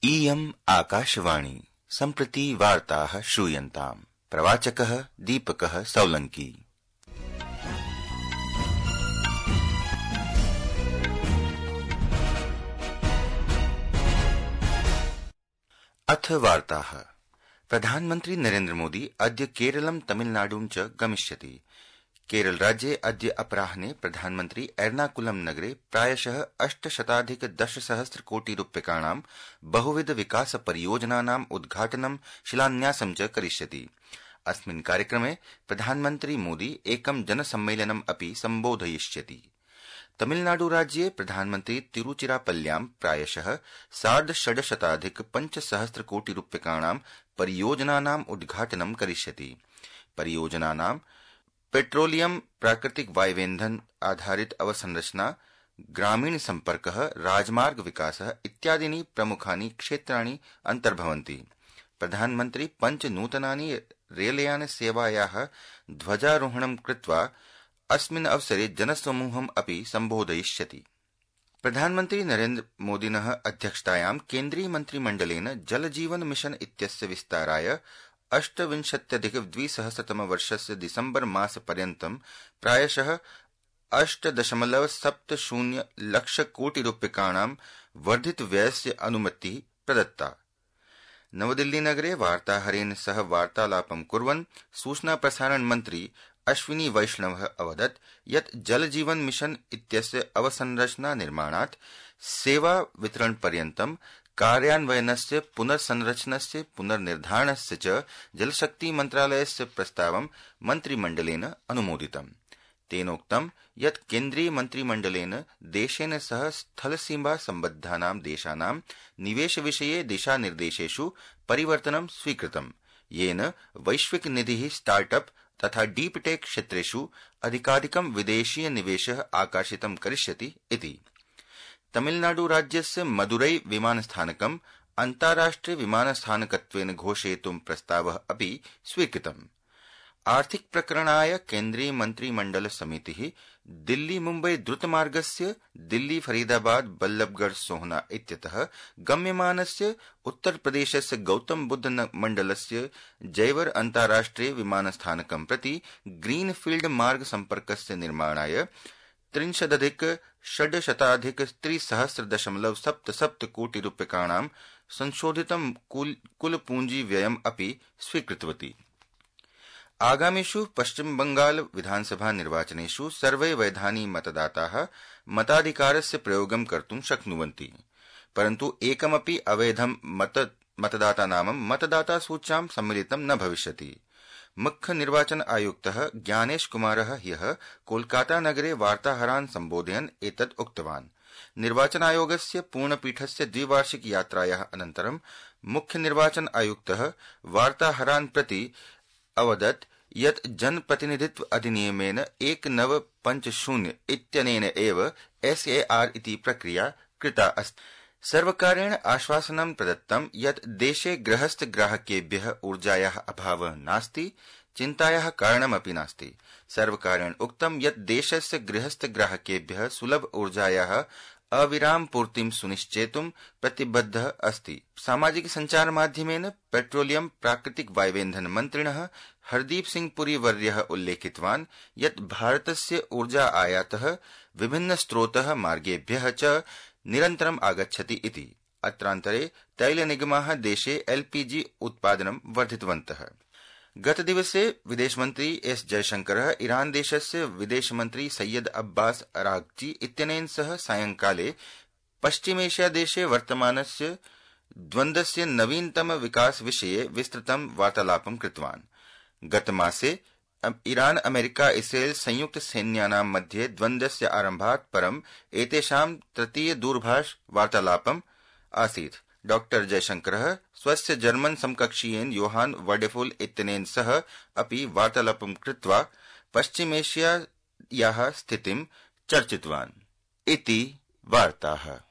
इयम् आकाशवाणी सम्प्रति वार्ताः श्रूयन्ताम्। प्रवाचकः दीपकः सौलंकी। अथ वार्ताः। प्रधानमन्त्री नरेन्द्र मोदी अद्य केरलं तमिलनाडुं च गमिष्यति। केरल राज्ये अद्य अपराह्ने प्रधानमन्त्री एर्नाकुलम नगरे प्रायशः 810 कोटि रूप्यकाणां बहुविध विकास परियोजनानाम् उद्घाटनं शिलान्यासं च करिष्यति। अस्मिन् कार्यक्रमे प्रधानमन्त्री मोदी एकं जनसम्मेलनम् अपि सम्बोधयिष्यति। तमिलनाडु राज्ये प्रधानमन्त्री तिरुचिरापल्ल्यां प्रायशः 650 कोटि रूप्यकाणां परियोजनानाम् उद्घाटनं करिष्यति। परियोजनानां पेट्रोलियम, प्राकृतिक वायवेन्धन आधारित अवसंरचना, ग्रामीण संपर्कः, राजमार्ग विकासः इत्यादीनि प्रमुखानि क्षेत्राणि अन्तर्भवन्ति। प्रधानमन्त्री 5 नूतनानि रेलयान सेवायाः ध्वजारोहणं कृत्वा अस्मिन् अवसरे जनसमूहम् अपि सम्बोधयिष्यति। प्रधानमन्त्री नरेन्द्र मोदिनः अध्यक्षतायां केन्द्रीय मन्त्रिमण्डलेन जल जीवन मिशन इत्यस्य विस्ताराय 28-2000 वर्षस्य दिसम्बर मासपर्यन्तं प्रायशः 8.70 लक्ष कोटि रूप्यकाणां वर्धित व्ययस्य अनुमतिः प्रदत्ता। नवदिल्ली नगरे वार्ताहरेण सह वार्तालापं कुर्वन् सूचना प्रसारण मन्त्री अश्विनी वैष्णवः अवदत् यत् जल जीवन मिशन इत्यस्य अवसंरचना निर्माणात् सेवा वितरण पर्यन्तं कार्यान्वयनस्य पुनर्संरचनस्य पुनर्निर्धारणस्य च जलशक्ति मन्त्रालयस्य प्रस्तावं मन्त्रिमण्डलेन अनुमोदितम्। तेनोक्तं यत् केन्द्रीय मन्त्रिमण्डलेन देशेन सह स्थलसीमा सम्बद्धानां देशानां निवेश विषये दिशानिर्देशेषु परिवर्तनं स्वीकृतम्, येन वैश्विक निधिः स्टार्टअप तथा डीप टेक क्षेत्रेषु अधिकाधिकं विदेशीय निवेशः आकर्षितं करिष्यति इति। तमिलनाडु राज्यस्य मदुरै विमानस्थानकम् अन्ताराष्ट्रिय विमानस्थानकत्वेन घोषयितुं प्रस्तावः अपि स्वीकृतम्। आर्थिक प्रकरणाय केन्द्रीय मन्त्रिमण्डल समितिः दिल्ली मुम्बई द्रुतमार्गस्य दिल्ली फरीदाबाद बल्लभगढ़ सोहना इत्यतः गम्यमानस्य उत्तर प्रदेशस्य गौतम बुद्ध मण्डलस्य जयवर अन्ताराष्ट्रिय विमानस्थानकं प्रति ग्रीनफील्ड मार्ग सम्पर्कस्य निर्माणाय 63,600,000.77 कोटि रूप्यकाणां संशोधितं कुल पूंजी व्ययम् अपि स्वीकृतवती। आगामिषु पश्चिम बंगाल विधानसभा निर्वाचनेषु सर्वे वैधानि मतदाताः मताधिकारस्य प्रयोगं कर्तुं शक्नुवन्ति, परन्तु एकमपि अवैधं मतदातानामं मतदाता सूच्यां सम्मिलितं न भविष्यति। मुख्य निर्वाचन आयुक्तः ज्ञानेश कुमारः ह्यः कोलकाता नगरे वार्ताहरान् सम्बोधयन् एतत् उक्तवान्। निर्वाचन आयोगस्य पूर्णपीठस्य द्विवार्षिक यात्रायाः अनन्तरं मुख्य निर्वाचन आयुक्तः वार्ताहरान् प्रति अवदत् यत् जनप्रतिनिधित्व अधिनियमेन 1950 इत्यनेन एव SAR इति प्रक्रिया कृता अस्ति। सर्वकारेण आश्वासनं प्रदत्तं यत् देशे गृहस्थ ग्राहकेभ्यः ऊर्जायाः अभावः नास्ति, चिन्तायाः कारणमपि नास्ति। सर्वकारेण उक्तं यत् देशस्य गृहस्थ ग्राहकेभ्यः सुलभ ऊर्जायाः अविराम पूर्तिं सुनिश्चेतुं प्रतिबद्धः अस्ति। सामाजिक संचार माध्यमेन पेट्रोलियम, प्राकृतिक वायवेन्धन मन्त्रिणः हरदीप सिंह पुरी वर्यः उल्लेखितवान् यत् भारतस्य ऊर्जा आयातः विभिन्न स्रोतः मार्गेभ्यः च निरन्तरम् आगच्छति इति। अत्रान्तरे तैलनिगमाः देशे LPG उत्पादनं वर्धितवन्तः। गतदिवसे विदेशमन्त्री S जयशंकरः ईरान देशस्य विदेशमन्त्री सैयद अब्बास अरागची इत्यनेन सह सायंकाले पश्चिमेशिया देशे वर्तमानस्य द्वन्द्वस्य नवीनतम विकास विषये विस्तृतं वार्तालापं कृतवान्। गतमासे ईरान अमेरिका इस्रेल संयुक्त सैन्यानां मध्ये द्वन्द्वस्य आरम्भात् परं एतेषां तृतीय दूरभाष वार्तालापम् आसीत्। डॉ जयशंकरः स्वस्य जर्मन समकक्षीयेन योहान वर्डेफुल इत्यनेन सह अपि वार्तालापं कृत्वा पश्चिमेशियायाः स्थितिं चर्चितवान् इति वार्ताः।